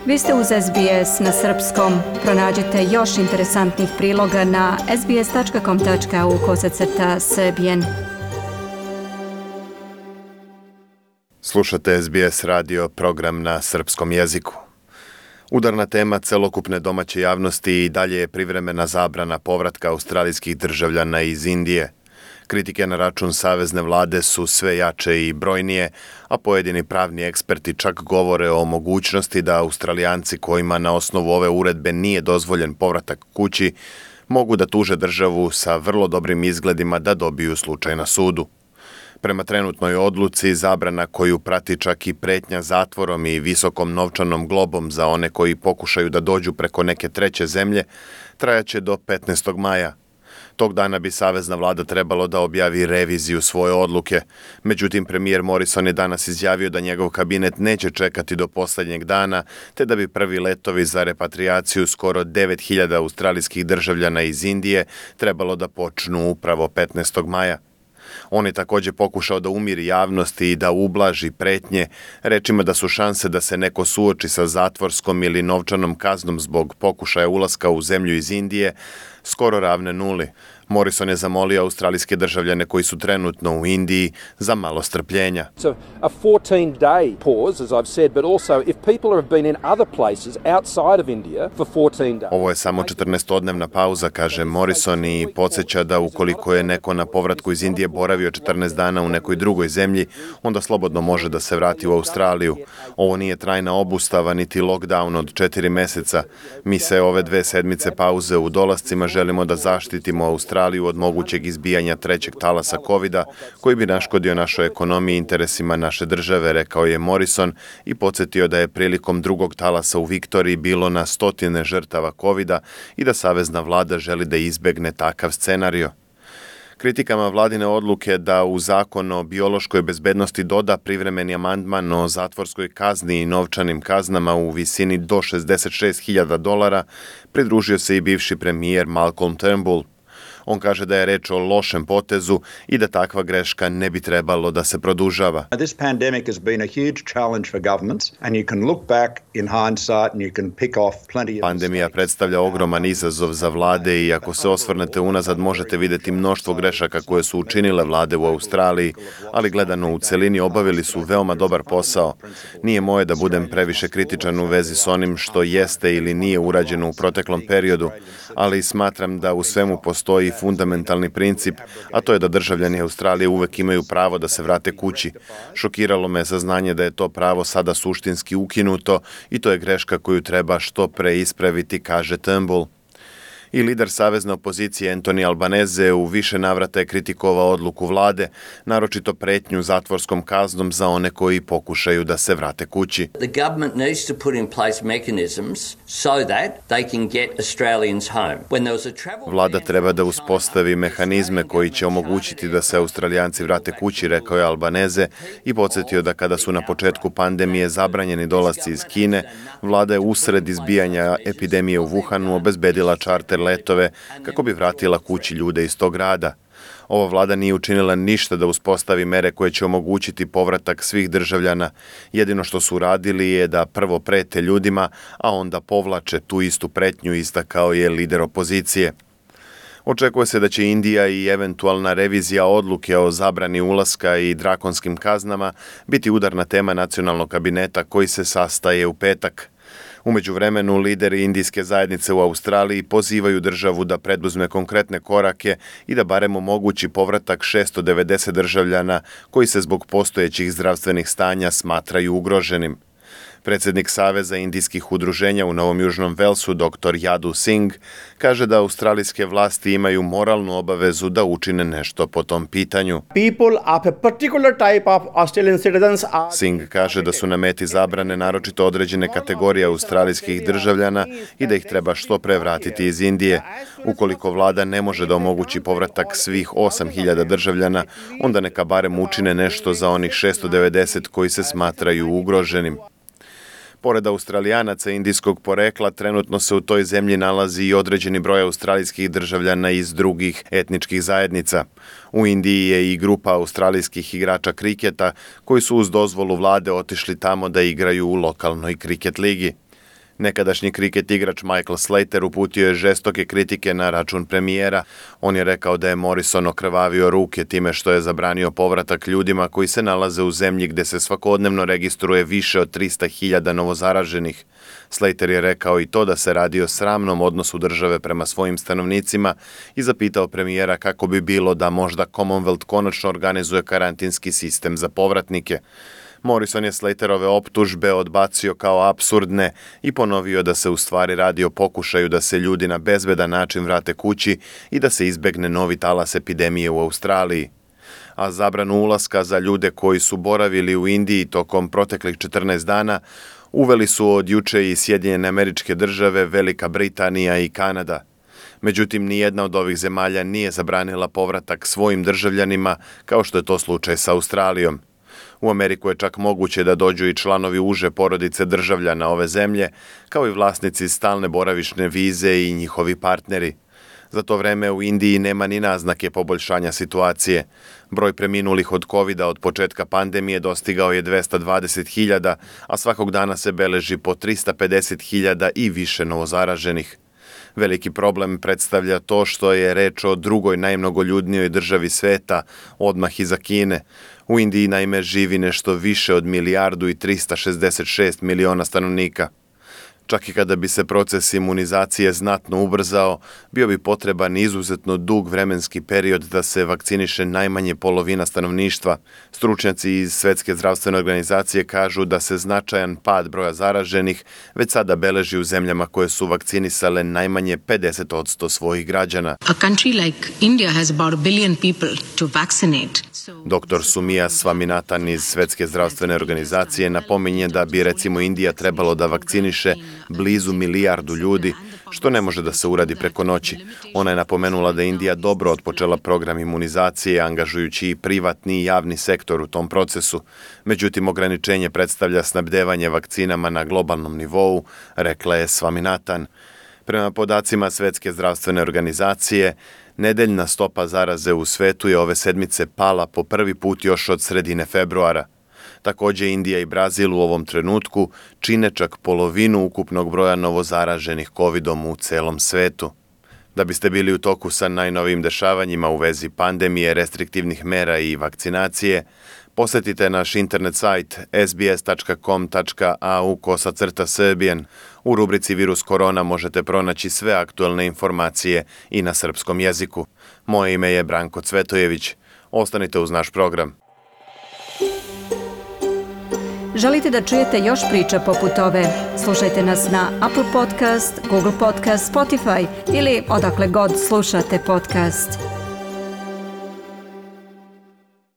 Vi ste uz SBS na srpskom. Pronađite još interesantnih priloga na sbs.com.au/srbijen. Slušate SBS radio, program na srpskom jeziku. Udarna tema celokupne domaće javnosti i dalje je privremena zabrana povratka australijskih državljana iz Indije. Kritike na račun savezne vlade su sve jače i brojnije, a pojedini pravni eksperti čak govore o mogućnosti da Australijanci kojima na osnovu ove uredbe nije dozvoljen povratak kući mogu da tuže državu sa vrlo dobrim izgledima da dobiju slučaj na sudu. Prema trenutnoj odluci, zabrana koju prati čak i pretnja zatvorom i visokom novčanom globom za one koji pokušaju da dođu preko neke treće zemlje, trajaće do 15. maja. Tog dana bi savezna vlada trebalo da objavi reviziju svoje odluke. Međutim, premijer Morrison je danas izjavio da njegov kabinet neće čekati do posljednjeg dana, te da bi prvi letovi za repatriaciju skoro 9.000 australijskih državljana iz Indije trebalo da počnu upravo 15. maja. On je također pokušao da umiri javnosti i da ublaži pretnje, rečima da su šanse da se neko suoči sa zatvorskom ili novčanom kaznom zbog pokušaja ulaska u zemlju iz Indije skoro ravne nuli. Morrison je zamolio australijske državljane koji su trenutno u Indiji za malo strpljenja. It's a 14-day pause, as I've said, but also if people have been in other places outside of India for 14 days. Ovo je samo 14-odnevna pauza, kaže Morrison, i podsjeća da ukoliko je neko na povratku iz Indije boravio 14 dana u nekoj drugoj zemlji, onda slobodno može da se vrati u Australiju. Ovo nije trajna obustava niti lockdown od 4 meseca. Mi se ove 2 sedmice pauze u dolascima želimo da zaštitimo Australiju od mogućeg izbijanja trećeg talasa COVID-a koji bi naškodio našoj ekonomiji i interesima naše države, rekao je Morrison i podsjetio da je prilikom drugog talasa u Viktoriji bilo na stotine žrtava COVID-a i da savezna vlada želi da izbegne takav scenario. Kritikama vladine odluke da u zakon o biološkoj bezbednosti doda privremeni amandman o zatvorskoj kazni i novčanim kaznama u visini do $66.000 pridružio se i bivši premijer Malcolm Turnbull. On kaže da je reč o lošem potezu i da takva greška ne bi trebalo da se produžava. This pandemic has been a huge challenge for governments and you can look back in hindsight and you can pick off plenty of Pandemija predstavlja ogroman izazov za vlade i ako se osvrnete unazad možete vidjeti mnoštvo grešaka koje su učinile vlade u Australiji, ali gledano u celini obavili su veoma dobar posao. Nije moje da budem previše kritičan u vezi s onim što jeste ili nije urađeno u proteklom periodu, ali smatram da u svemu postoji fundamentalni princip, a to je da državljani Australije uvek imaju pravo da se vrate kući. Šokiralo me saznanje da je to pravo sada suštinski ukinuto i to je greška koju treba što pre ispraviti, kaže Turnbull. I lider savezne opozicije Anthony Albanese u više navrata je kritikovao odluku vlade, naročito pretnju zatvorskom kaznom za one koji pokušaju da se vrate kući. The government needs to put in place mechanisms so that they can get Australians home. When there was a travel Vlada treba da uspostavi mehanizme koji će omogućiti da se Australijanci vrate kući, rekao je Albanese i podsjetio da kada su na početku pandemije zabranjeni dolasci iz Kine, vlada je usred izbijanja epidemije u Wuhanu obezbedila čarter letove kako bi vratila kući ljude iz tog grada. Ova vlada nije učinila ništa da uspostavi mere koje će omogućiti povratak svih državljana. Jedino što su radili je da prvo prete ljudima, a onda povlače tu istu pretnju, istakao je lider opozicije. Očekuje se da će Indija i eventualna revizija odluke o zabrani ulaska i drakonskim kaznama biti udarna tema nacionalnog kabineta koji se sastaje u petak. U međuvremenu, lideri indijske zajednice u Australiji pozivaju državu da preduzme konkretne korake i da barem omogući povratak 690 državljana koji se zbog postojećih zdravstvenih stanja smatraju ugroženim. Predsjednik Saveza indijskih udruženja u Novom Južnom Velsu, dr. Yadu Singh, kaže da australijske vlasti imaju moralnu obavezu da učine nešto po tom pitanju. Singh kaže da su na meti zabrane naročito određene kategorije australijskih državljana i da ih treba što pre vratiti iz Indije. Ukoliko vlada ne može da omogući povratak svih 8.000 državljana, onda neka barem učine nešto za onih 690 koji se smatraju ugroženim. Pored Australijanaca indijskog porekla, trenutno se u toj zemlji nalazi i određeni broj australijskih državljana iz drugih etničkih zajednica. U Indiji je i grupa australijskih igrača kriketa koji su uz dozvolu vlade otišli tamo da igraju u lokalnoj kriket ligi. Nekadašnji kriket igrač Michael Slater uputio je žestoke kritike na račun premijera. On je rekao da je Morrison okrvavio ruke time što je zabranio povratak ljudima koji se nalaze u zemlji gdje se svakodnevno registruje više od 300.000 novozaraženih. Slater je rekao i to da se radi o sramnom odnosu države prema svojim stanovnicima i zapitao premijera kako bi bilo da možda Commonwealth konačno organizuje karantinski sistem za povratnike. Morrison je Slaterove optužbe odbacio kao apsurdne i ponovio da se u stvari radi o pokušaju da se ljudi na bezbedan način vrate kući i da se izbegne novi talas epidemije u Australiji. A zabranu ulaska za ljude koji su boravili u Indiji tokom proteklih 14 dana uveli su od juče i Sjedinjene Američke Države, Velika Britanija i Kanada. Međutim, nijedna od ovih zemalja nije zabranila povratak svojim državljanima kao što je to slučaj sa Australijom. U Ameriku je čak moguće da dođu i članovi uže porodice državljana ove zemlje, kao i vlasnici stalne boravišne vize i njihovi partneri. Za to vreme u Indiji nema ni naznake poboljšanja situacije. Broj preminulih od covida od početka pandemije dostigao je 220.000, a svakog dana se beleži po 350.000 i više novozaraženih. Veliki problem predstavlja to što je reč o drugoj najmnogoljudnijoj državi sveta, odmah iza Kine. U Indiji naime živi nešto više od 1.366 miliona stanovnika. Čak i kada bi se proces imunizacije znatno ubrzao, bio bi potreban izuzetno dug vremenski period da se vakciniše najmanje polovina stanovništva. Stručnjaci iz Svjetske zdravstvene organizacije kažu da se značajan pad broja zaraženih već sada beleži u zemljama koje su vakcinisale najmanje 50% svojih građana. A country like India has about 1 billion people to vaccinate. Dr. Sumia Swaminathan iz Svjetske zdravstvene organizacije napominje da bi recimo Indija trebalo da vakciniše blizu 1 milijardu ljudi, što ne može da se uradi preko noći. Ona je napomenula da je Indija dobro otpočela program imunizacije, angažujući i privatni i javni sektor u tom procesu. Međutim, ograničenje predstavlja snabdevanje vakcinama na globalnom nivou, rekla je Swaminathan. Prema podacima Svjetske zdravstvene organizacije, nedeljna stopa zaraze u svetu je ove sedmice pala po prvi put još od sredine februara. Također Indija i Brazil u ovom trenutku čine čak polovinu ukupnog broja novozaraženih covidom u celom svetu. Da biste bili u toku sa najnovijim dešavanjima u vezi pandemije, restriktivnih mera i vakcinacije, posjetite naš internet sajt sbs.com.au/Serbian. U rubrici Virus korona možete pronaći sve aktualne informacije i na srpskom jeziku. Moje ime je Branko Cvetojević. Ostanite uz naš program. Želite da čujete još priča poput ove? Slušajte nas na Apple Podcast, Google Podcast, Spotify ili odakle god slušate podcast.